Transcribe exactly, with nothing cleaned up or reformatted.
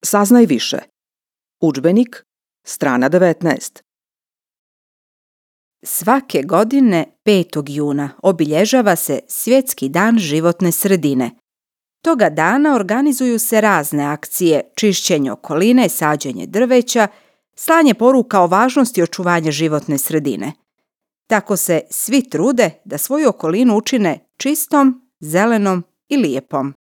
Saznaj više. Udžbenik, strana devetnaest. Svake godine petog juna obilježava se Svjetski dan životne sredine. Toga dana organizuju se razne akcije, čišćenje okoline, sađenje drveća, slanje poruka o važnosti očuvanja životne sredine. Tako se svi trude da svoju okolinu učine čistom, zelenom i lijepom.